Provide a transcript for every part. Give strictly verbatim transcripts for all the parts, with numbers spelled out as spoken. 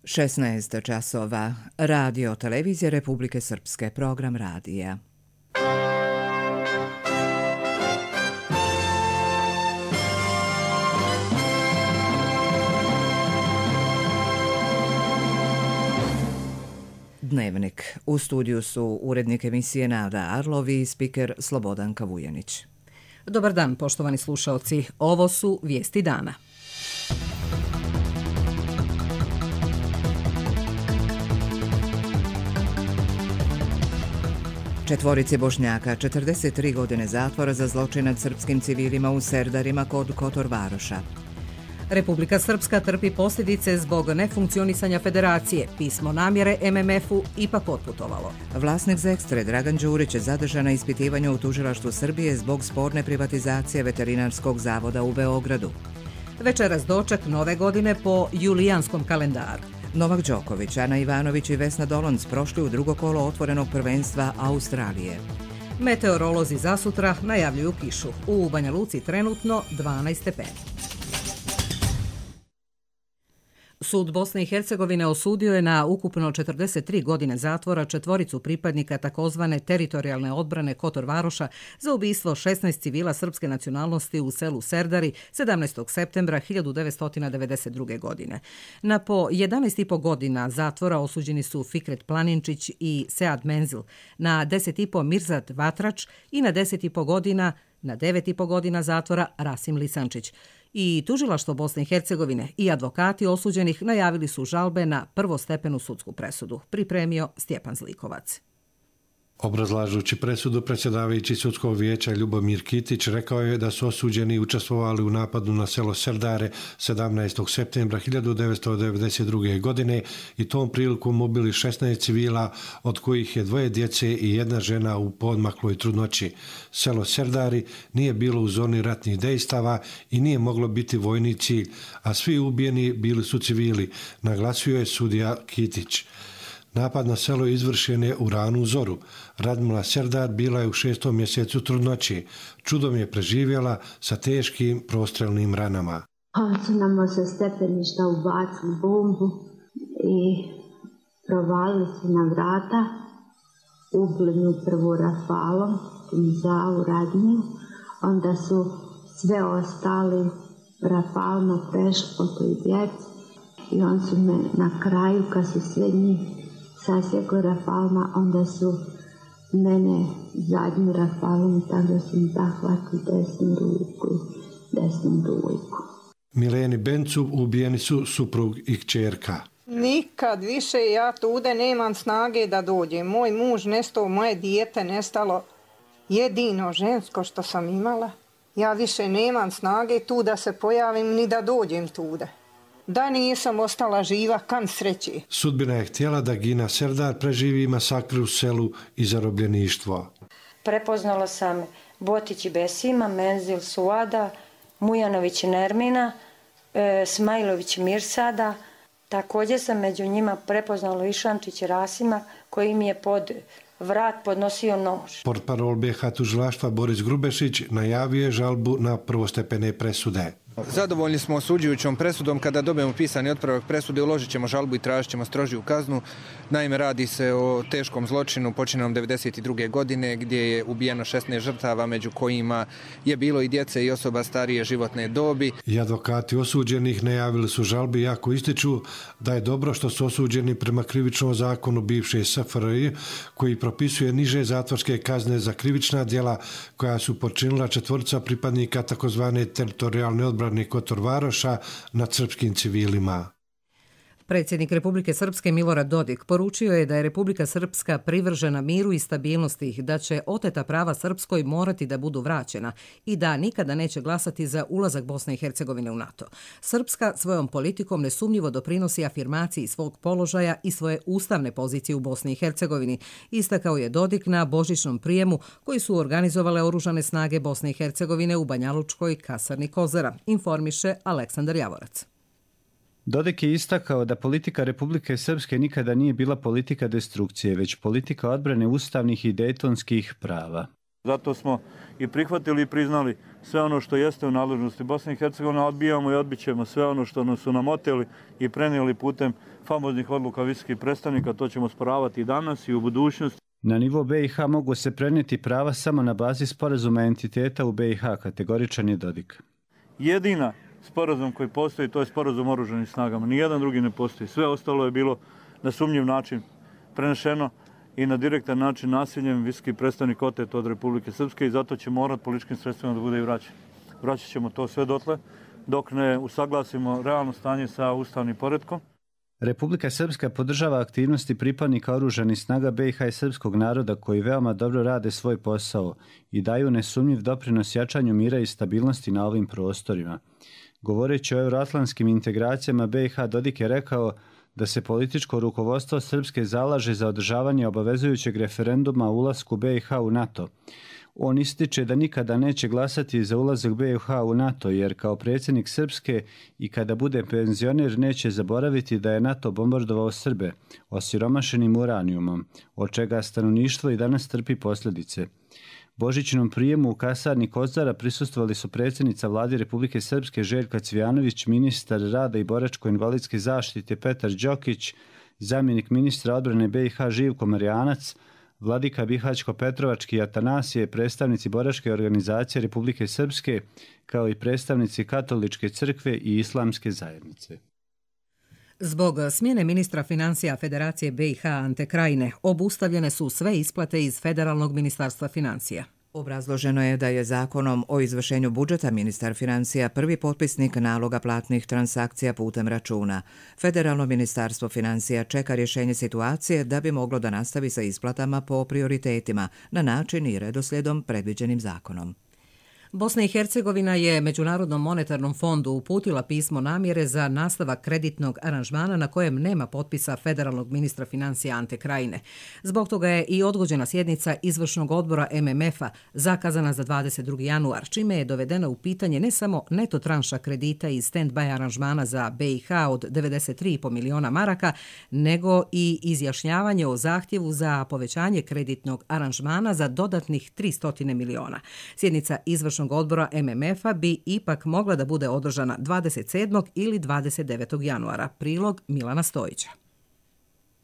šesnaest časova. Radio Televizije Republike Srpske, program radija. Dnevnik. U studiju su urednik emisije Nada Arlovi i spiker Slobodanka Vujanić. Dobar dan, poštovani slušaoci. Ovo su vijesti dana. Četvorici Bošnjaka, četrdeset tri godine zatvora za zločin nad srpskim civilima u Serdarima kod Kotor Varoša. Republika Srpska trpi posljedice zbog nefunkcionisanja federacije. Pismo namjere em em efu ipak otputovalo. Vlasnik Zekstre Dragan Đurić je zadržan na ispitivanju u tužilaštvu Srbije zbog sporne privatizacije veterinarskog zavoda u Beogradu. Večeras doček nove godine po julijanskom kalendaru. Novak Đoković, Ana Ivanović i Vesna Dolonc prošli u drugo kolo otvorenog prvenstva Australije. Meteorolozi zasutra najavljuju kišu. U Banja Luci trenutno dvanaest stepeni. Sud Bosne i Hercegovine osudio je na ukupno četrdeset tri godine zatvora četvoricu pripadnika takozvane teritorijalne odbrane Kotor Varoša za ubistvo šesnaest civila srpske nacionalnosti u selu Serdari sedamnaestog septembra hiljadu devetsto devedeset druge. godine. Na po jedanaest i po godina zatvora osuđeni su Fikret Planinčić i Sead Menzil, na deset i po Mirzat Vatrač i na deset i po godina na devet i po godina zatvora Rasim Lisančić. I tužilaštvo Bosne i Hercegovine i advokati osuđenih najavili su žalbe na prvostepenu sudsku presudu. Pripremio Stjepan Zlikovac. Obrazlažući presudu, predsjedavajući sudskog vijeća Ljubomir Kitić rekao je da su osuđeni učestvovali u napadu na selo Serdare sedamnaestog septembra hiljadu devetsto devedeset druge. godine i tom prilikom ubili šesnaest civila, od kojih je dvoje djece i jedna žena u poodmakloj trudnoći. Selo Serdari nije bilo u zoni ratnih dejstava i nije moglo biti vojni cilj, a svi ubijeni bili su civili, naglasio je sudija Kitić. Napad na selo izvršen je u ranu zoru. Radmila Serdar bila je u šestom mjesecu trudnoći. Čudom je preživjela sa teškim prostrelnim ranama. Oni su nam sa stepeništa ubacili bombu i provalili su na vrata. Ubili nju prvo rafalom, za Radmiju. Onda su sve ostali rafalno prešli po toj djeci. I on su me na kraju, kad su sve njih sasjekli rafalma, onda su mene zadnju rafalom, tako da su mi zahvatili desnu ruku, desnu dujku. Mileni Bencu ubijeni su suprug i kćerka. Nikad više ja tude nemam snage da dođem. Moj muž nestao, moje dijete nestalo, jedino žensko što sam imala. Ja više nemam snage tu da se pojavim ni da dođem tude. Da nisam ostala živa, kan sreći. Sudbina je htjela da Gina Serdar preživi masakr u selu i zarobljeništvo. Prepoznala sam Botić i Besima, Menzil Suada, Mujanović Nermina, e, Smajlović Mirsada. Također sam među njima prepoznala Išančić Rasima, koji mi je pod vrat podnosio nož. Portparol be ha tužilaštva Boris Grubešić najavio je žalbu na prvostepene presude. Zadovoljni smo osuđujućom presudom. Kada dobijemo pisani otpravak presude, uložit ćemo žalbu i tražit ćemo strožiju kaznu. Naime, radi se o teškom zločinu počinjenom devedeset druge. godine gdje je ubijeno šesnaest žrtava, među kojima je bilo i djece i osoba starije životne dobi. I advokati osuđenih najavili su žalbi, iako ističu da je dobro što su osuđeni prema krivičnom zakonu bivše es ef er je, koji propisuje niže zatvorske kazne za krivična djela koja su počinila četvorica pripadnika takozvane teritorijalne odbrane Kotor Varoša nad srpskim civilima. Predsjednik Republike Srpske Milorad Dodik poručio je da je Republika Srpska privržena miru i stabilnosti, da će oteta prava Srpskoj morati da budu vraćena i da nikada neće glasati za ulazak Bosne i Hercegovine u NATO. Srpska svojom politikom nesumnjivo doprinosi afirmaciji svog položaja i svoje ustavne pozicije u Bosni i Hercegovini, istakao je Dodik na božićnom prijemu koji su organizovale oružane snage Bosne i Hercegovine u Banjalučkoj kasarni Kozara, informiše Aleksandar Javorac. Dodik je istakao da politika Republike Srpske nikada nije bila politika destrukcije, već politika odbrane ustavnih i dejtonskih prava. Zato smo i prihvatili i priznali sve ono što jeste u nadležnosti Bosne i Hercegovine, odbijamo i odbit ćemo sve ono što su nam oteli i prenijeli putem famoznih odluka visokih predstavnika, to ćemo sporavati i danas i u budućnosti. Na nivo be i ha mogu se prenijeti prava samo na bazi sporazuma entiteta u be i ha, kategoričan je Dodik. Jedina sporazum koji postoji, to je sporazum o oružanim snagama. Nijedan drugi ne postoji. Sve ostalo je bilo na sumnjiv način prenešeno i na direktan način nasiljem visoki predstavnik otet od Republike Srpske i zato će morat političkim sredstvima da bude i vraćan. Vraćat ćemo to sve dotle dok ne usaglasimo realno stanje sa ustavnim poretkom. Republika Srpska podržava aktivnosti pripadnika oružanih snaga be i ha i srpskog naroda koji veoma dobro rade svoj posao i daju nesumnjiv doprinos jačanju mira i stabilnosti na ovim prostorima. Govoreći o euroatlantskim integracijama be i ha, Dodik je rekao da se političko rukovodstvo Srpske zalaže za održavanje obavezujućeg referenduma o ulasku be i ha u NATO. On ističe da nikada neće glasati za ulazak be i ha u NATO, jer kao predsjednik Srpske i kada bude penzioner neće zaboraviti da je NATO bombardovao Srbe osiromašenim uranijumom, od čega stanovništvo i danas trpi posljedice. Božićnom prijemu u kasarni Kozara prisustvovali su predsjednica vlade Republike Srpske Željka Cvijanović, ministar rada i boračko-invalidske zaštite Petar Đokić, zamjenik ministra odbrane be i ha Živko Marijanac, vladika Bihaćko-Petrovački Atanasije, predstavnici boračke organizacije Republike Srpske, kao i predstavnici Katoličke crkve i Islamske zajednice. Zbog smjene ministra financija Federacije be i ha Ante Krajine obustavljene su sve isplate iz Federalnog ministarstva financija. Obrazloženo je da je zakonom o izvršenju budžeta ministar financija prvi potpisnik naloga platnih transakcija putem računa. Federalno ministarstvo financija čeka rješenje situacije da bi moglo da nastavi sa isplatama po prioritetima na način i redoslijedom predviđenim zakonom. Bosna i Hercegovina je Međunarodnom monetarnom fondu uputila pismo namjere za nastavak kreditnog aranžmana na kojem nema potpisa federalnog ministra financija Ante Krajine. Zbog toga je i odgođena sjednica izvršnog odbora em em efa zakazana za dvadeset drugi januar, čime je dovedena u pitanje ne samo neto tranša kredita iz stand-by aranžmana za be i ha od devedeset tri i po miliona maraka, nego i izjašnjavanje o zahtjevu za povećanje kreditnog aranžmana za dodatnih tristo miliona. Sjednica izvršnog odbora em em efa bi ipak mogla da bude održana dvadeset sedmog ili dvadeset devetog januara. Prilog Milana Stojića.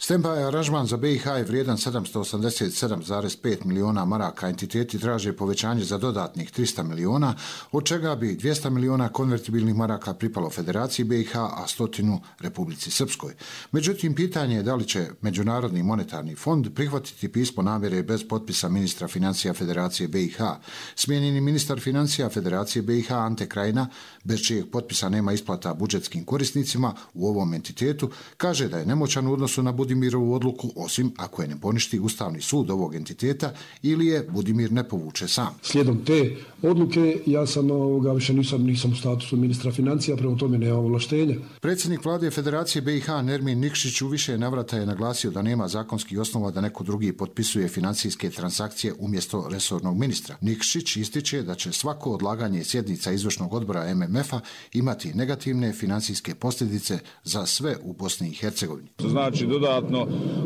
Stand-by aranžman za be i ha je vrijedan sedamsto osamdeset sedam zarez pet miliona maraka. Entiteti traže povećanje za dodatnih trista miliona, od čega bi dvjesto miliona konvertibilnih maraka pripalo Federaciji be i ha, a stotinu Republici Srpskoj. Međutim, pitanje je da li će Međunarodni monetarni fond prihvatiti pismo namjere bez potpisa ministra financija Federacije be i ha. Smijenjeni ministar financija Federacije be i ha Ante Krajina, bez čijeg potpisa nema isplata budžetskim korisnicima u ovom entitetu, kaže da je nemoćan u odnosu na Budimirovu odluku, osim ako je ne poništi Ustavni sud ovog entiteta ili je Budimir ne povuče sam. Slijedom te odluke ja sam ovoga, više nisam, nisam u statusu ministra financija, prema tome nema ovlaštenja. Predsjednik vlade Federacije be i ha Nermin Nikšić u više navrata je naglasio da nema zakonskih osnova da neko drugi potpisuje financijske transakcije umjesto resornog ministra. Nikšić ističe da će svako odlaganje sjednica izvršnog odbora em em efa imati negativne financijske posljedice za sve u Bosni i Hercegovini. To znači dodatno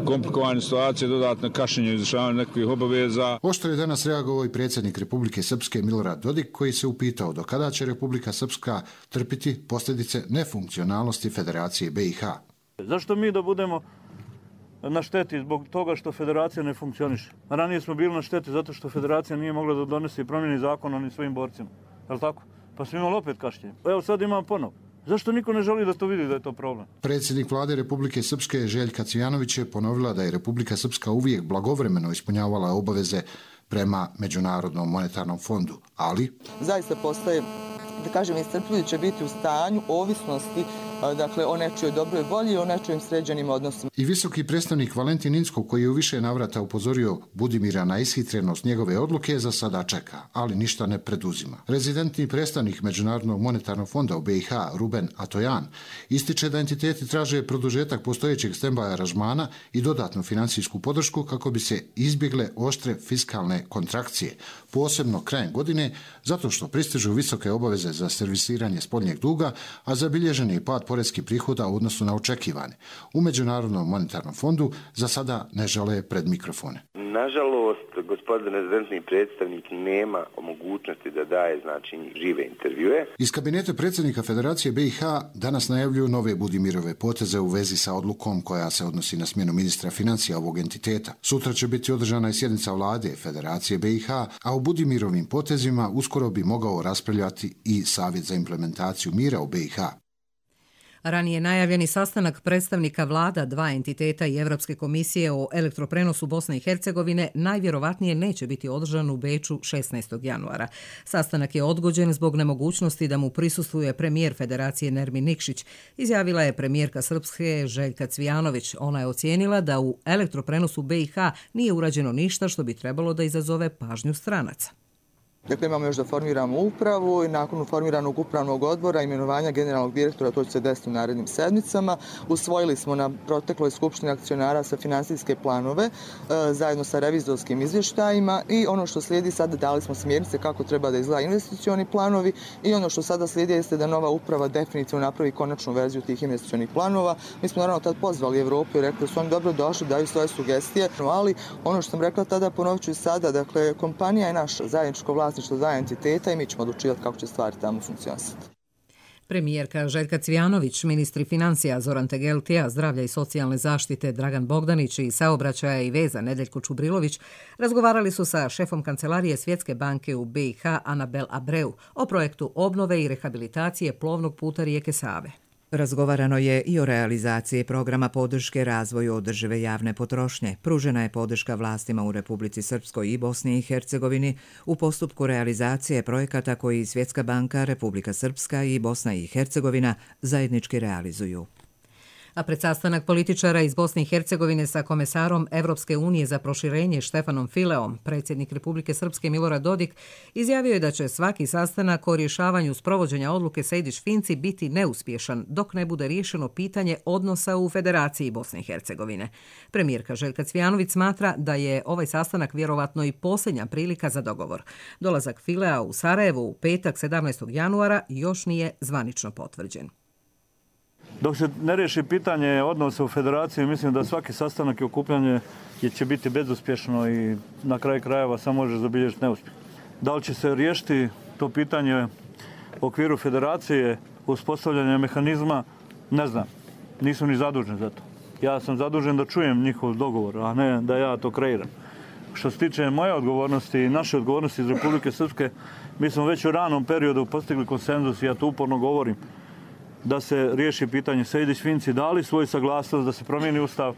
komplikovane situacije, dodatno kašnjenje u izvršavanju nekakvih obaveza. Oštro je danas reagovao i predsjednik Republike Srpske Milorad Dodik, koji se upitao do kada će Republika Srpska trpiti posljedice nefunkcionalnosti Federacije be i ha. Zašto mi da budemo na šteti zbog toga što Federacija ne funkcioniše? Ranije smo bili na šteti zato što Federacija nije mogla da donese i promijeni zakon onim svojim borcima. Je li tako? Pa smo imali opet kašnjenje. Evo sad imamo ponovo. Zašto niko ne želi da to vidi da je to problem? Predsjednik vlade Republike Srpske Željka Cvijanović je ponovila da je Republika Srpska uvijek blagovremeno ispunjavala obaveze prema Međunarodnom monetarnom fondu, ali zaista postaje, da kažem, iscrpljujuće biti u stanju ovisnosti, dakle, o nečijoj dobroj volji i o nečijim sređenim odnosima. I visoki predstavnik Valentin Inzko, koji je u više navrata upozorio Budimira na ishitrenost njegove odluke, za sada čeka, ali ništa ne preduzima. Rezidentni predstavnik Međunarodnog monetarnog fonda u be i ha Ruben Atojan ističe da entiteti traže produžetak postojećeg stand-by aranžmana i dodatnu financijsku podršku kako bi se izbjegle oštre fiskalne kontrakcije, posebno krajem godine, zato što pristižu visoke obaveze za servisiranje spoljnjeg duga, a zabilježen je pad poreskih prihoda u odnosu na očekivane. U Međunarodnom monetarnom fondu za sada ne žele pred mikrofone. Nažalost, gospodin rezidentni predstavnik nema mogućnosti da daje znači žive intervjue. Iz kabineta predsjednika Federacije B i H danas najavljuju nove Budimirove poteze u vezi sa odlukom koja se odnosi na smjenu ministra financija ovog entiteta. Sutra će biti održana i sjednica vlade Federacije B i H, a u Budimirovim potezima uskoro bi mogao raspravljati i Savjet za implementaciju mira u B i H. Ranije najavljeni sastanak predstavnika vlada dva entiteta i Evropske komisije o elektroprenosu Bosne i Hercegovine najvjerovatnije neće biti održan u Beču šesnaestog januara. Sastanak je odgođen zbog nemogućnosti da mu prisustvuje premijer Federacije Nermin Nikšić, izjavila je premijerka Srpske Željka Cvijanović. Ona je ocijenila da u elektroprenosu B i H nije urađeno ništa što bi trebalo da izazove pažnju stranaca. Dakle, imamo još da formiramo upravu i nakon formiranog upravnog odbora imenovanja generalnog direktora, to će se desiti u narednim sedmicama. Usvojili smo na protekloj skupštini akcionara sa finansijske planove e, zajedno sa revizorskim izvještajima i ono što slijedi sada dali smo smjernice kako treba da izgleda investicioni planovi i ono što sada slijedi jeste da nova uprava definitivno napravi konačnu verziju tih investicionih planova. Mi smo naravno tad pozvali Evropu i rekli da su oni dobro došli, daju svoje sugestije, ali ono što sam rekla tada ponovit ću i sada, dakle kompanija je naša zajedničko vlasništvo što dva entiteta i mi ćemo odlučivati kako će stvari tamo funkcionisati. Premijerka Željka Cvijanović, ministri financija Zoran Tegeltija, zdravlja i socijalne zaštite Dragan Bogdanić i saobraćaja i veza Nedeljko Čubrilović razgovarali su sa šefom kancelarije Svjetske banke u B i H Anabel Abreu o projektu obnove i rehabilitacije plovnog puta rijeke Save. Razgovarano je i o realizaciji programa podrške razvoju održive javne potrošnje. Pružena je podrška vlastima u Republici Srpskoj i Bosni i Hercegovini u postupku realizacije projekata koji Svjetska banka, Republika Srpska i Bosna i Hercegovina zajednički realizuju. A pred sastanak političara iz Bosne i Hercegovine sa komesarom Evropske unije za proširenje Štefanom Fileom, predsjednik Republike Srpske Milorad Dodik izjavio je da će svaki sastanak o rješavanju sprovođenja odluke Sejdić-Finci biti neuspješan dok ne bude riješeno pitanje odnosa u Federaciji Bosne i Hercegovine. Premijerka Željka Cvijanović smatra da je ovaj sastanak vjerovatno i posljednja prilika za dogovor. Dolazak Filea u Sarajevo u petak sedamnaestog januara još nije zvanično potvrđen. Dok se ne riješi pitanje odnosa u Federaciji, mislim da svaki sastanak i okupljanje će biti bezuspješno i na kraju krajeva samo može zabilježiti neuspjeh. Da li će se riješiti to pitanje u okviru Federacije, uspostavljanja mehanizma, ne znam. Nisam ni zadužen za to. Ja sam zadužen da čujem njihov dogovor, a ne da ja to kreiram. Što se tiče moje odgovornosti i naše odgovornosti iz Republike Srpske, mi smo već u ranom periodu postigli konsenzus i ja to uporno govorim, da se riješi pitanje Sejdić-Finci, dali svoj saglasnost da se promijeni ustav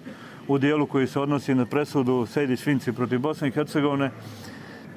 u dijelu koji se odnosi na presudu Sejdić-Finci protiv Bosne i Hercegovine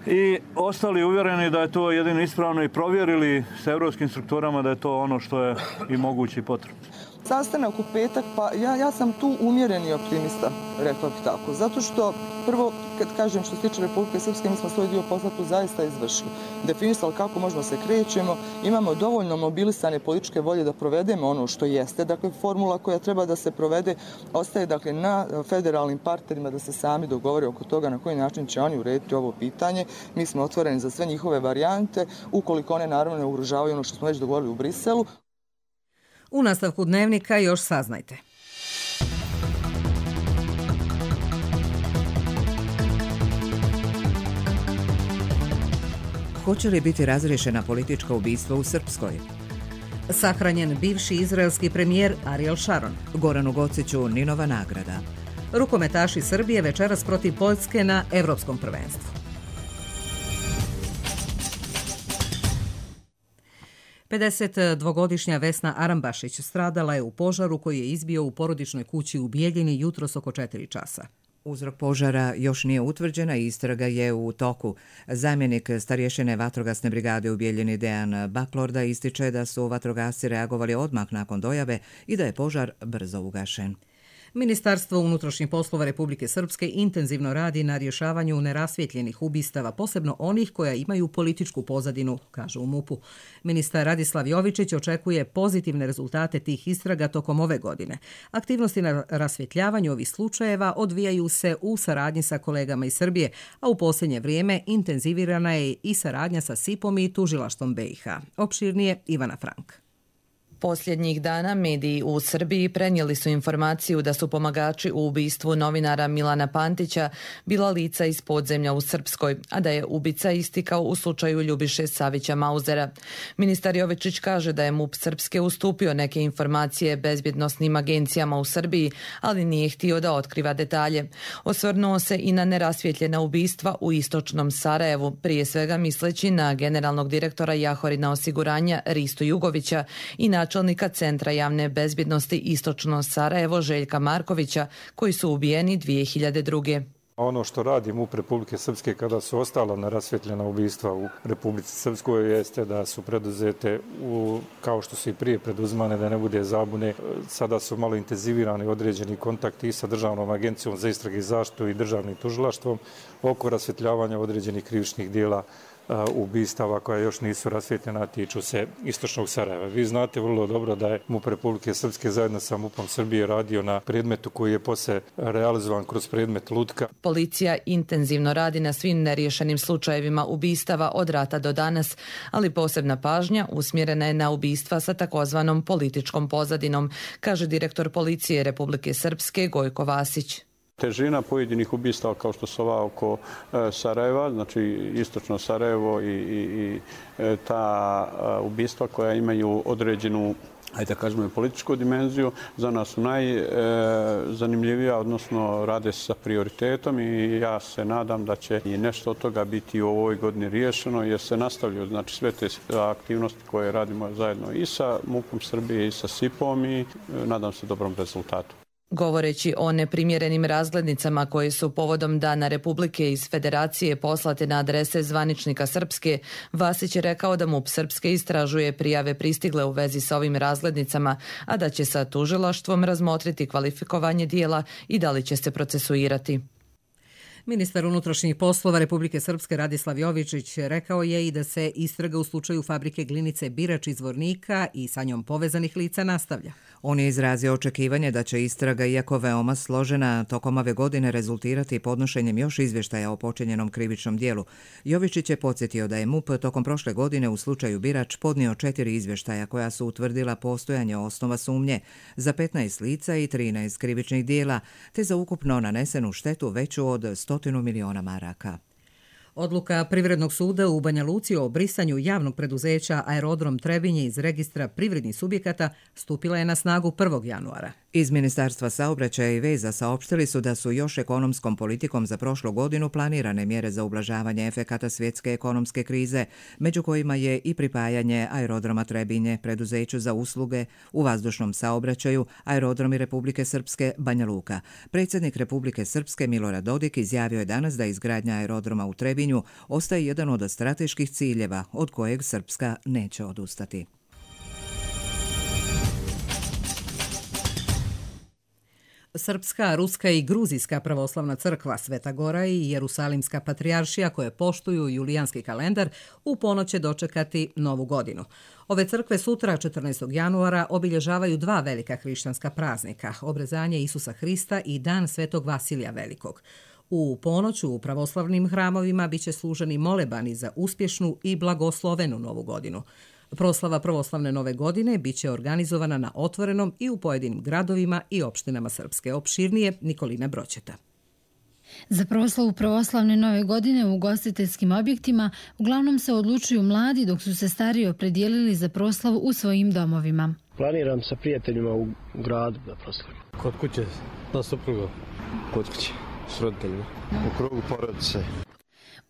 i ostali uvjereni da je to jedino ispravno i provjerili sa europskim strukturama da je to ono što je i moguće i potrebno. Sastanak u petak, pa ja, ja sam tu umjereni optimista, rekla bih tako. Zato što, prvo, kad kažem što se tiče Republike Srpske, mi smo svoj dio posla tu zaista izvršili. Definisali kako možemo se krećemo, imamo dovoljno mobilisane političke volje da provedemo ono što jeste. Dakle, formula koja treba da se provede ostaje dakle, na federalnim partnerima da se sami dogovore oko toga na koji način će oni urediti ovo pitanje. Mi smo otvoreni za sve njihove varijante, ukoliko one naravno ne ugrožavaju ono što smo već dogovorili u Briselu. U nastavku dnevnika još saznajte. Hoće li biti razriješena politička ubistva u Srpskoj? Sahranjen bivši izraelski premijer Ariel Sharon. Goranu Gociću Ninova nagrada. Rukometaši Srbije večeras protiv Poljske na Evropskom prvenstvu. pedesetdvogodišnja Vesna Arambašić stradala je u požaru koji je izbio u porodičnoj kući u Bijeljini jutros oko četiri časa. Uzrok požara još nije utvrđena i istraga je u toku. Zamjenik starješine vatrogasne brigade u Bijeljini Dejan Baklorda ističe da su vatrogasci reagovali odmah nakon dojave i da je požar brzo ugašen. Ministarstvo unutrašnjih poslova Republike Srpske intenzivno radi na rješavanju nerasvjetljenih ubistava, posebno onih koja imaju političku pozadinu, kaže u MUP-u. Ministar Radislav Jovičić očekuje pozitivne rezultate tih istraga tokom ove godine. Aktivnosti na rasvjetljavanju ovih slučajeva odvijaju se u saradnji sa kolegama iz Srbije, a u posljednje vrijeme intenzivirana je i saradnja sa S I P-om i tužilaštvom B i H. Opširnije Ivana Frank. Posljednjih dana mediji u Srbiji prenijeli su informaciju da su pomagači u ubistvu novinara Milana Pantića bila lica iz podzemlja u Srpskoj, a da je ubica istikao u slučaju Ljubiše Savića Mauzera. Ministar Jovičić kaže da je MUP Srpske ustupio neke informacije bezbjednosnim agencijama u Srbiji, ali nije htio da otkriva detalje. Osvrnuo se i na nerasvjetljena ubistva u istočnom Sarajevu, prije svega misleći na generalnog direktora Jahorina osiguranja Ristu Jugovića i načelnika Centra javne bezbjednosti Istočno Sarajevo Željka Markovića, koji su ubijeni dvije hiljade druge. Ono što radi MUP Republike Srpske kada su ostala nerasvjetljena ubistva u Republici Srpskoj jeste da su preduzete, u, kao što su i prije preduzmane, da ne bude zabune. Sada su malo intenzivirani određeni kontakti i sa Državnom agencijom za istrage i zaštitu i državnim tužilaštvom oko rasvjetljavanja određenih krivičnih dijela ubistava koja još nisu rasvjetljena, tiču se istočnog Sarajeva. Vi znate vrlo dobro da je MUP Republike Srpske zajedno sa MUP-om Srbije radio na predmetu koji je posle realizovan kroz predmet Lutka. Policija intenzivno radi na svim neriješenim slučajevima ubistava od rata do danas, ali posebna pažnja usmjerena je na ubistva sa takozvanom političkom pozadinom, kaže direktor Policije Republike Srpske Gojko Vasić. Težina pojedinih ubistava kao što su ova oko Sarajeva, znači istočno Sarajevo i, i, i ta ubistva koja imaju određenu, ajde da kažemo, političku dimenziju, za nas su najzanimljivija, odnosno rade se sa prioritetom i ja se nadam da će i nešto od toga biti u ovoj godini riješeno jer se nastavljaju, znači, sve te aktivnosti koje radimo zajedno i sa MUP-om Srbije i sa S I P-om i nadam se dobrom rezultatu. Govoreći o neprimjerenim razglednicama koje su povodom Dana Republike iz Federacije poslate na adrese zvaničnika Srpske, Vasić je rekao da MUP Srpske istražuje prijave pristigle u vezi sa ovim razglednicama, a da će sa tužilaštvom razmotriti kvalifikovanje dijela i da li će se procesuirati. Ministar unutrašnjih poslova Republike Srpske Radislav Jovičić rekao je i da se istraga u slučaju fabrike glinice Birač iz Zvornika i sa njom povezanih lica nastavlja. On je izrazio očekivanje da će istraga, iako veoma složena, tokom ove godine rezultirati podnošenjem još izvještaja o počinjenom krivičnom dijelu. Jovičić je podsjetio da je MUP tokom prošle godine u slučaju Birač podnio četiri izvještaja koja su utvrdila postojanje osnova sumnje za petnaest lica i trinaest krivičnih dijela, te za ukupno nanesenu štetu veću od stotinu miliona maraka. Odluka Privrednog suda u Banja Luci o brisanju javnog preduzeća Aerodrom Trebinje iz registra privrednih subjekata stupila je na snagu prvog januara. Iz Ministarstva saobraćaja i veza saopštili su da su još ekonomskom politikom za prošlu godinu planirane mjere za ublažavanje efekata svjetske ekonomske krize, među kojima je i pripajanje Aerodroma Trebinje preduzeću za usluge u vazdušnom saobraćaju Aerodromi Republike Srpske Banja Luka. Predsjednik Republike Srpske Milorad Dodik izjavio je danas da izgradnja aerodroma u Trebinju ostaje jedan od strateških ciljeva od kojeg Srpska neće odustati. Srpska, Ruska i Gruzijska pravoslavna crkva, Sveta Gora i Jerusalimska patrijaršija koje poštuju julijanski kalendar u ponoć će dočekati novu godinu. Ove crkve sutra, četrnaestog januara, obilježavaju dva velika hrišćanska praznika, obrezanje Isusa Hrista i Dan Svetog Vasilija Velikog. U ponoć u pravoslavnim hramovima biće služeni molebani za uspješnu i blagoslovenu novu godinu. Proslava pravoslavne nove godine biće organizovana na otvorenom i u pojedinim gradovima i opštinama Srpske. Opširnije Nikolina Broćeta. Za proslavu pravoslavne nove godine u ugostiteljskim objektima uglavnom se odlučuju mladi, dok su se stariji opredijelili za proslavu u svojim domovima. Planiram sa prijateljima u gradu da proslavim. Kod kuće, na suprugu. Kod kuće, s roditeljima. U krugu porodice.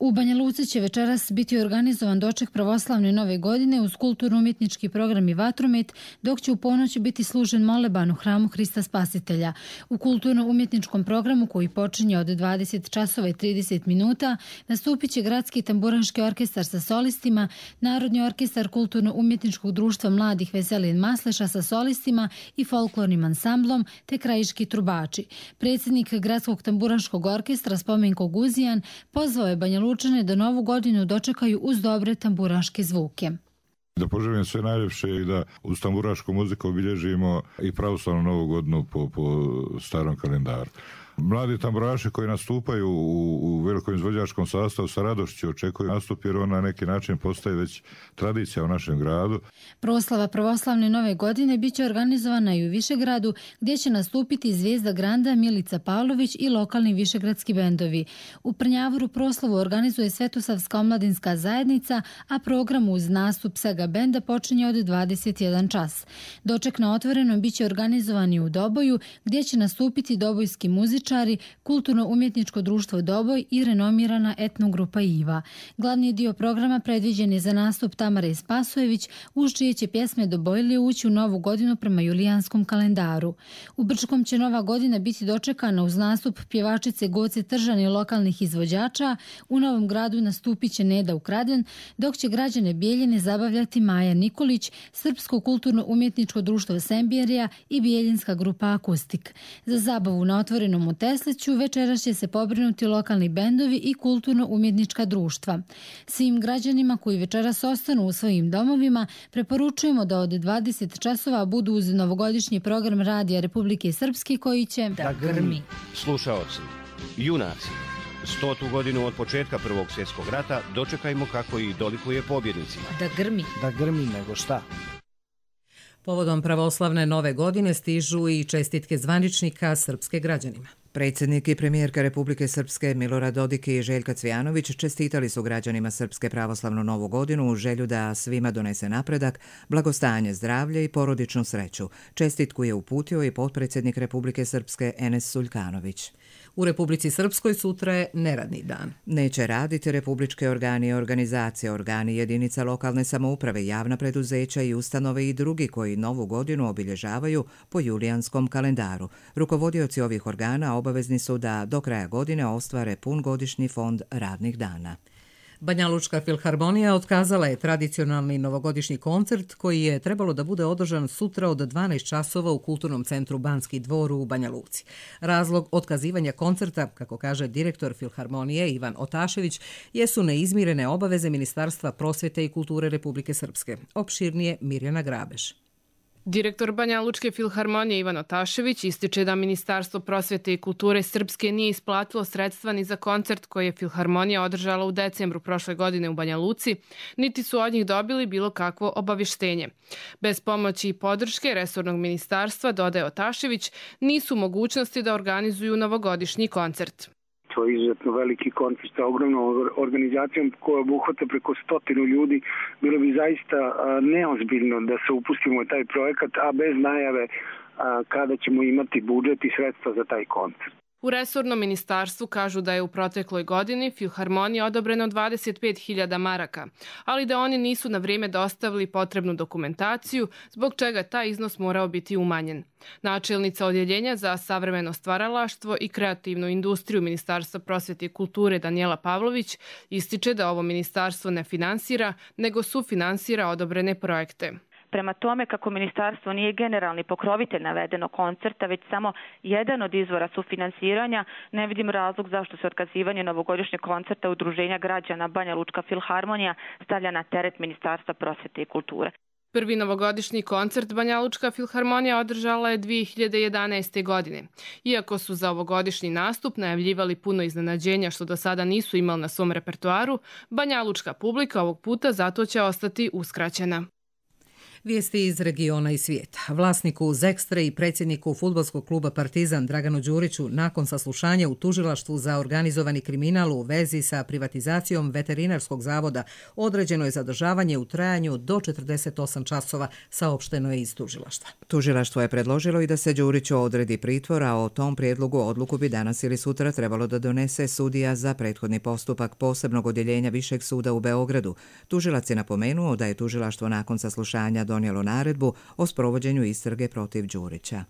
U Banja Luci će večeras biti organizovan doček pravoslavne nove godine uz kulturno-umjetnički program i vatromet, dok će u ponoć biti služen moleban u hramu Hrista Spasitelja. U kulturno-umjetničkom programu, koji počinje od dvadeset časova i trideset minuta, nastupit će Gradski tamburanski orkestar sa solistima, Narodni orkestar kulturno-umjetničkog društva mladih Veselin Masleša sa solistima i folklornim ansamblom, te krajiški trubači. Predsjednik Gradskog tamburanskog orkestra Spomenko Guzijan pozvao je Banja Lučane da novu godinu dočekaju uz dobre tamburaške zvuke. Da poželim sve najljepše i da uz tamburašku muziku obilježimo i pravoslavnu novu godinu po, po starom kalendaru. Mladi tamburaši koji nastupaju u, u velikom izvođačkom sastavu sa radošću očekuju nastup jer on na neki način postaje već tradicija u našem gradu. Proslava pravoslavne nove godine bit će organizovana i u Višegradu gdje će nastupiti Zvijezda Granda, Milica Pavlović i lokalni višegradski bendovi. U Prnjavoru proslavu organizuje Svetosavska omladinska zajednica, a program uz nastup Sega benda počinje od dvadeset jedan čas. Doček na otvorenom bit će organizovan i u Doboju gdje će nastupiti dobojski muzičari, kulturno-umjetničko društvo Doboj i renomirana etnogrupa Iva. Glavni dio programa predviđen je za nastup Tamare Spasojević, uz čije će pjesme Dobojlije ući u novu godinu prema julijanskom kalendaru. U Brčkom će nova godina biti dočekana uz nastup pjevačice Goce Tržan i lokalnih izvođača. U Novom Gradu nastupit će Neda Ukraden, dok će građane Bijeljine zabavljati Maja Nikolić, Srpsko kulturno-umjetničko društvo Sembjerija i Bijeljinska grupa Akustik. Za zabavu na otvorenom u Tesliću večeras će se pobrinuti lokalni bendovi i kulturno-umjetnička društva. Svim građanima koji večeras ostanu u svojim domovima preporučujemo da od dvadeset časova budu uz novogodišnji program Radija Republike Srpske koji će da grmi. Slušaoci, junaci, stotu godinu od početka Prvog svjetskog rata dočekajmo kako i dolikuje pobjednicima. Da grmi. Da grmi nego šta? Povodom pravoslavne nove godine stižu i čestitke zvaničnika srpske građanima. Predsjednik i premijerka Republike Srpske Milorad Dodik i Željka Cvijanović čestitali su građanima Srpske pravoslavnu novu godinu u želju da svima donese napredak, blagostanje, zdravlje i porodičnu sreću. Čestitku je uputio i potpredsjednik Republike Srpske Enes Suljkanović. U Republici Srpskoj sutra je neradni dan. Neće raditi republičke organi i organizacije, organi jedinica lokalne samouprave, javna preduzeća i ustanove i drugi koji novu godinu obilježavaju po julijanskom kalendaru. Rukovodioci ovih organa obavezni su da do kraja godine ostvare pun godišnji fond radnih dana. Banjalučka filharmonija otkazala je tradicionalni novogodišnji koncert koji je trebalo da bude održan sutra od dvanaest časova u Kulturnom centru Banski dvor u Banja Luci. Razlog otkazivanja koncerta, kako kaže direktor filharmonije Ivan Otašević, jesu neizmirene obaveze Ministarstva prosvjete i kulture Republike Srpske. Opširnije Mirjana Grabeš. Direktor Banja Lučke filharmonije Ivan Otašević ističe da Ministarstvo prosvjete i kulture Srpske nije isplatilo sredstva ni za koncert koji je filharmonija održala u decembru prošle godine u Banja Luci, niti su od njih dobili bilo kakvo obavještenje. Bez pomoći i podrške resornog ministarstva, dodaje Otašević, nisu mogućnosti da organizuju novogodišnji koncert. To je izuzetno veliki koncert sa ogromnom organizacijom koja obuhvata preko stotinu ljudi. Bilo bi zaista neozbiljno da se upustimo u taj projekat, a bez najave kada ćemo imati budžet i sredstva za taj koncert. U resornom ministarstvu kažu da je u protekloj godini filharmoniji odobreno dvadeset pet hiljada maraka, ali da oni nisu na vrijeme dostavili potrebnu dokumentaciju, zbog čega taj iznos morao biti umanjen. Načelnica odjeljenja za savremeno stvaralaštvo i kreativnu industriju Ministarstva prosvjete i kulture Danijela Pavlović ističe da ovo ministarstvo ne finansira, nego sufinansira odobrene projekte. Prema tome, kako ministarstvo nije generalni pokrovitelj navedenog koncerta, već samo jedan od izvora sufinansiranja, ne vidim razlog zašto se otkazivanje novogodišnjeg koncerta Udruženja građana Banja Lučka filharmonija stavlja na teret Ministarstva prosvjete i kulture. Prvi novogodišnji koncert Banja Lučka filharmonija održala je dvije hiljade jedanaeste. godine. Iako su za ovogodišnji nastup najavljivali puno iznenađenja što do sada nisu imali na svom repertoaru, Banja Lučka publika ovog puta zato će ostati uskraćena. Vijesti iz regiona i svijeta. Vlasniku Zekstre i predsjedniku fudbalskog kluba Partizan Draganu Đuriću nakon saslušanja u tužilaštvu za organizovani kriminal u vezi sa privatizacijom veterinarskog zavoda određeno je zadržavanje u trajanju do četrdeset osam časova, saopšteno je iz tužilaštva. Tužilaštvo je predložilo i da se Đuriću odredi pritvor, a o tom prijedlogu odluku bi danas ili sutra trebalo da donese sudija za prethodni postupak posebnog odjeljenja Višeg suda u Beogradu. Tužilac je napomenuo da je tužilaštvo nakon saslušanja donijelo naredbu o sprovođenju istrage protiv Đurića.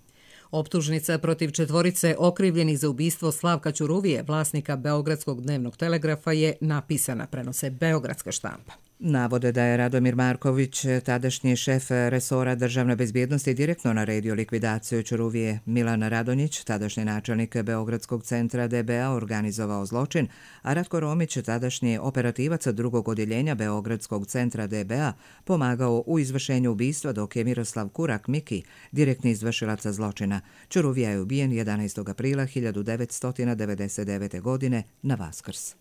Optužnica protiv četvorice okrivljenih za ubistvo Slavka Ćuruvije, vlasnika Beogradskog dnevnog telegrafa, je napisana, prenose beogradska štampa. Navode da je Radomir Marković, tadašnji šef resora državne bezbjednosti, direktno naredio likvidaciju Ćuruvije. Milan Radonjić, tadašnji načelnik Beogradskog centra D B A, organizovao zločin, a Ratko Romić, tadašnji operativac drugog odjeljenja Beogradskog centra D B A, pomagao u izvršenju ubistva, dok je Miroslav Kurak Miki, direktni izvršilac zločina. Ćuruvija je ubijen jedanaestog aprila hiljadu devetsto devedeset devete. godine na Vaskrs.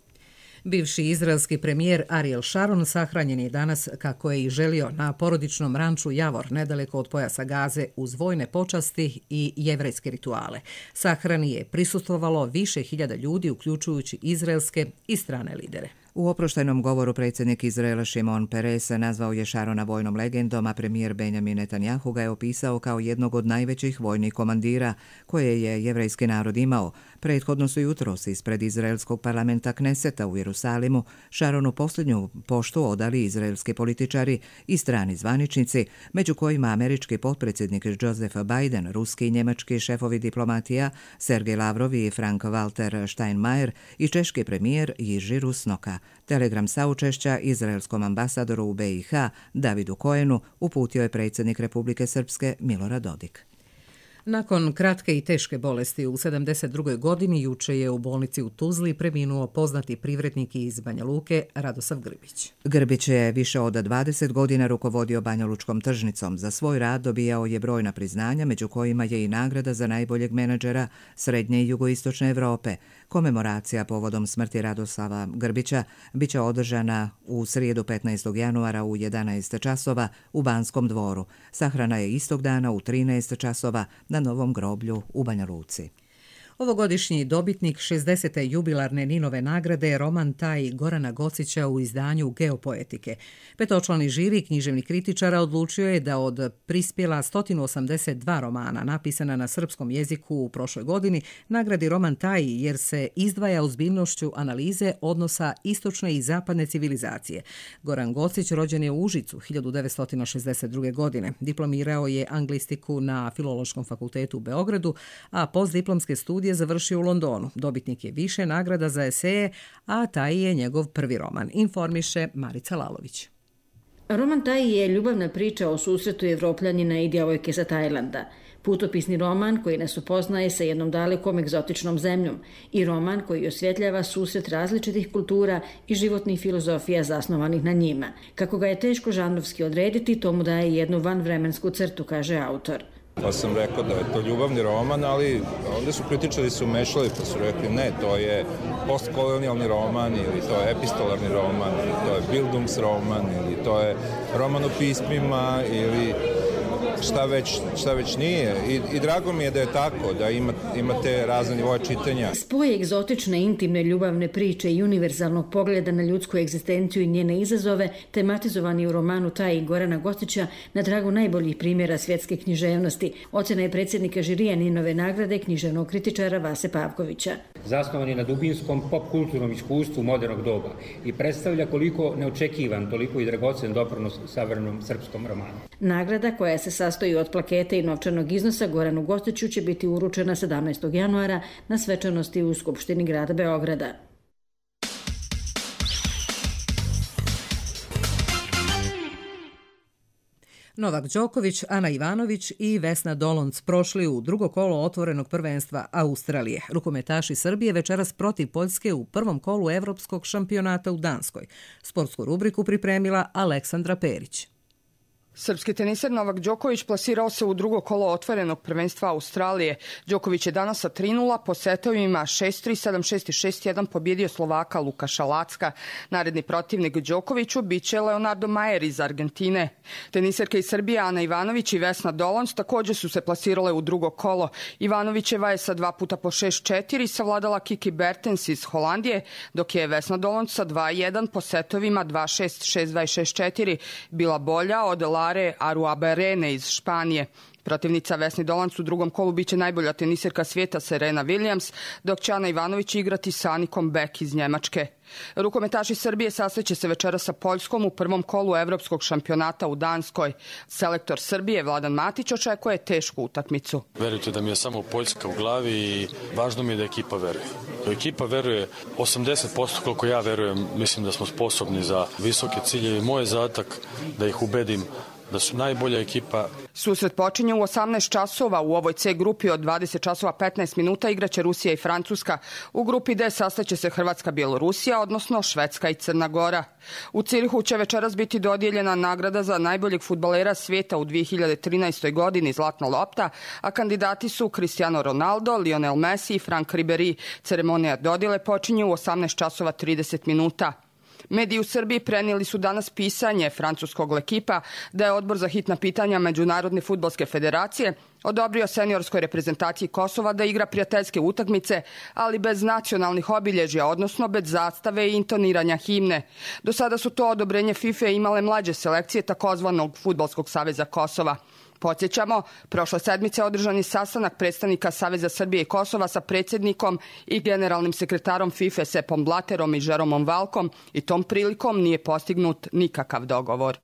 Bivši izraelski premijer Ariel Sharon sahranjen je danas, kako je i želio, na porodičnom ranču Javor, nedaleko od pojasa Gaze, uz vojne počasti i jevrejske rituale. Sahrani je prisustvovalo više hiljada ljudi, uključujući izraelske i strane lidere. U oproštajnom govoru predsjednik Izraela Šimon Peres nazvao je Šarona vojnom legendom, a premijer Benjamin Netanjahu ga je opisao kao jednog od najvećih vojnih komandira koje je jevrejski narod imao. Prethodno su jutros ispred izraelskog parlamenta Kneseta u Jerusalimu Šaronu posljednju poštu odali izraelski političari i strani zvaničnici, među kojima američki potpredsjednik Joseph Biden, ruski i njemački šefovi diplomatija Sergej Lavrov i Frank-Walter Steinmeier i češki premijer Jiří Rusnoka. Telegram saučešća izraelskom ambasadoru u B i H Davidu Koenu uputio je predsjednik Republike Srpske Milorad Dodik. Nakon kratke i teške bolesti u sedamdeset drugoj. godini juče je u bolnici u Tuzli preminuo poznati privrednik iz Banja Luke Radosav Grbić. Grbić je više od dvadeset godina rukovodio banjalučkom tržnicom. Za svoj rad dobijao je brojna priznanja, među kojima je i nagrada za najboljeg menadžera Srednje i Jugoistočne Evrope. Komemoracija povodom smrti Radosava Grbića biće održana u srijedu petnaestog januara u jedanaest časova u Banskom dvoru. Sahrana je istog dana u trinaest časova na Novom groblju u Banja Luci. Ovogodišnji dobitnik šezdesete jubilarne Ninove nagrade je roman Taj Gorana Gocića u izdanju Geopoetike. Petočlani žiri književnih kritičara odlučio je da od prispjela sto osamdeset dva romana napisana na srpskom jeziku u prošloj godini nagradi roman Taj jer se izdvaja ozbiljnošću analize odnosa istočne i zapadne civilizacije. Goran Gocić rođen je u Užicu hiljadu devetsto šezdeset druge. godine. Diplomirao je anglistiku na Filološkom fakultetu u Beogradu, a postdiplomske studije završio u Londonu. Dobitnik je više nagrada za eseje, a taj je njegov prvi roman, informiše Marica Lalović. Roman Taj je ljubavna priča o susretu Evropljanina i djevojke sa Tajlanda. Putopisni roman koji nas upoznaje sa jednom dalekom egzotičnom zemljom i roman koji osvjetljava susret različitih kultura i životnih filozofija zasnovanih na njima. Kako ga je teško žanrovski odrediti, to mu daje jednu vanvremensku crtu, kaže autor. Pa sam rekao da je to ljubavni roman, ali ovdje su kritičari se umešali pa su rekli ne, to je postkolonijalni roman ili to je epistolarni roman ili to je Bildungsroman ili to je roman o pismima ili šta već, šta već nije. I, I drago mi je da je tako, da ima, imate razne nivoje čitanja. Spoj egzotične, intimne ljubavne priče i univerzalnog pogleda na ljudsku egzistenciju i njene izazove tematizovani u romanu Taj Gorana Gocića na tragu najboljih primjera svjetske književnosti. Ocjena je predsjednika žirija Ninove nagrade književnog kritičara Vase Pavkovića. Zasnovan je na dubinskom pop-kulturnom iskustvu modernog doba i predstavlja koliko neočekivan, toliko i dragocen doprinos savremenom srpskom romanu. Nagrada koja se sastoji od plakete i novčanog iznosa Goranu Gociću će biti uručena sedamnaestog januara na svečanosti u Skupštini grada Beograda. Novak Đoković, Ana Ivanović i Vesna Dolonc prošli u drugo kolo otvorenog prvenstva Australije. Rukometaši Srbije večeras protiv Poljske u prvom kolu evropskog šampionata u Danskoj. Sportsku rubriku pripremila Aleksandra Perić. Srpski teniser Novak Đoković plasirao se u drugo kolo otvorenog prvenstva Australije. Đoković je danas sa tri nula po setovima šest tri, sedam šest i šest jedan pobjedio Slovaka Lukaša Lacka. Naredni protivnik Đokoviću biće Leonardo Majer iz Argentine. Teniserke iz Srbije Ana Ivanović i Vesna Dolonc također su se plasirale u drugo kolo. Ivanovićeva je sa dva puta po šest četiri savladala Kiki Bertens iz Holandije, dok je Vesna Dolonc sa dva jedan po setovima dva šest, šest dva i šest četiri bila bolja od Lare Aruabarene iz Španije. Protivnica Vesni Dolanc u drugom kolu biće najbolja tenisirka svijeta Serena Williams, dok će Ana Ivanović igrati sa Anikom Beck iz Njemačke. Rukometaši Srbije sastaće se večera sa Poljskom u prvom kolu evropskog šampionata u Danskoj. Selektor Srbije Vladan Matić očekuje tešku utakmicu. Verujte da mi je samo Poljska u glavi i važno mi je da ekipa veruje. Ekipa veruje osamdeset posto koliko ja verujem, mislim da smo sposobni za visoke ciljeve. Moj je zadatak da ih ubedim da su najbolja ekipa. Susret počinje u osamnaest časova. U ovoj C grupi od dvadeset časova petnaest minuta igraće Rusija i Francuska. U grupi D sastaće se Hrvatska, Bjelorusija, odnosno Švedska i Crna Gora. U Cirihu će večeras biti dodijeljena nagrada za najboljeg fudbalera svijeta u dvije hiljade trinaestoj. godini Zlatna lopta, a kandidati su Cristiano Ronaldo, Lionel Messi i Franck Ribéry. Ceremonija dodjele počinje u osamnaest časova trideset minuta. Mediji u Srbiji prenijeli su danas pisanje francuskog L'Equipa da je Odbor za hitna pitanja Međunarodne fudbalske federacije odobrio seniorskoj reprezentaciji Kosova da igra prijateljske utakmice, ali bez nacionalnih obilježja, odnosno bez zastave i intoniranja himne. Do sada su to odobrenje FIFA imale mlađe selekcije takozvanog Fudbalskog saveza Kosova. Podsjećamo, prošle sedmice održan je sastanak predstavnika Saveza Srbije i Kosova sa predsjednikom i generalnim sekretarom FIFA Sepom Blaterom i Žeromom Valkom i tom prilikom nije postignut nikakav dogovor.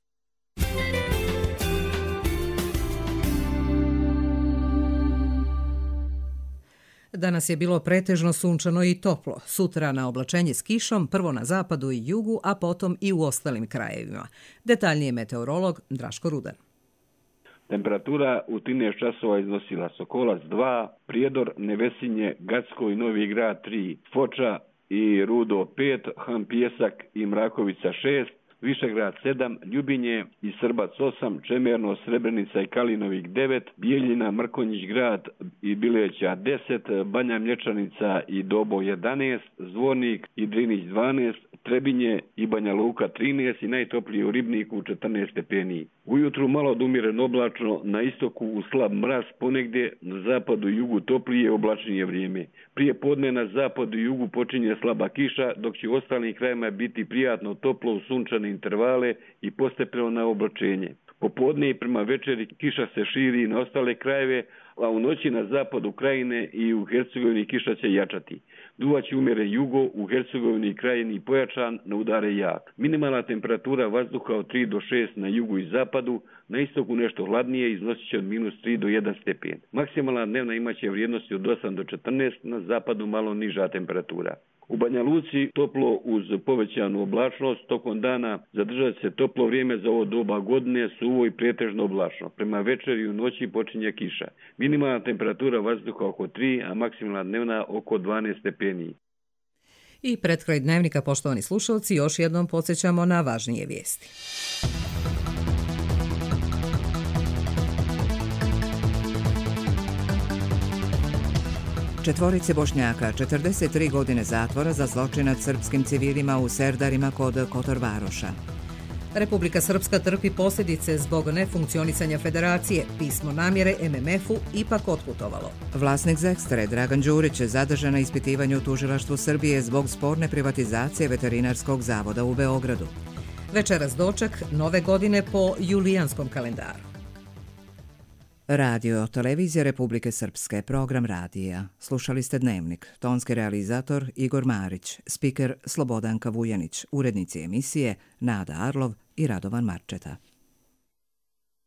Danas je bilo pretežno sunčano i toplo. Sutra na oblačenje s kišom, prvo na zapadu i jugu, a potom i u ostalim krajevima. Detaljnije meteorolog Draško Rudan. Temperatura u trinaest časova iznosila Sokolac dva, Prijedor, Nevesinje, Gacko i Novi Grad tri, Foča i Rudo pet, Han Pijesak i Mrakovica šest, Višegrad sedam, Ljubinje i Srbac osam, Čemerno, Srebrenica i Kalinovik devet, Bijeljina, Mrkonjić grad i Bileća deset, Banja Mlječanica i Dobo jedanaest, Zvornik i Drinić dvanaest, Trebinje i Banja Luka trinaest i najtoplije u Ribniku četrnaest stepeni. Ujutru malo od umjeren oblačno, na istoku u slab mraz, ponegdje na zapadu i jugu toplije oblačnije vrijeme. Prije podne na zapadu i jugu počinje slaba kiša, dok će u ostalim krajima biti prijatno toplo u sunčane intervale i postepeno na oblačenje. Popodne i prema večeri kiša se širi na ostale krajeve, a u noći na zapadu krajine i u Hercegovini kiša će jačati. Duvaće umjeren jugo, u Hercegovini i krajini pojačan, na udare jak. Minimalna temperatura vazduha od tri do šest na jugu i zapadu, na istoku nešto hladnije, iznosit će od minus tri do jedan stepen. Maksimalna dnevna imaće vrijednosti od osam do četrnaest, na zapadu malo niža temperatura. U Banja Luci toplo uz povećanu oblačnost, tokom dana zadržat se toplo vrijeme za ovo doba godine, suvo i pretežno oblačno. Prema večeri i u noći počinje kiša. Minimalna temperatura vazduha oko tri, a maksimalna dnevna oko dvanaest stepeni. I pred kraj dnevnika, poštovani slušalci, još jednom podsjećamo na važnije vijesti. Četvorici Bošnjaka, četrdeset tri godine zatvora za zločin nad srpskim civilima u Serdarima kod Kotor Varoša. Republika Srpska trpi posljedice zbog nefunkcionisanja federacije. Pismo namjere em em efu ipak otputovalo. Vlasnik Zekstre, Dragan Đurić, je zadržan na ispitivanju u tužilaštvu Srbije zbog sporne privatizacije veterinarskog zavoda u Beogradu. Večeras doček nove godine po julijanskom kalendaru. Radio Televizija Republike Srpske, program radija. Slušali ste Dnevnik. Tonski realizator Igor Marić, spiker Slobodanka Vujanić, urednici emisije Nada Arlov i Radovan Marčeta.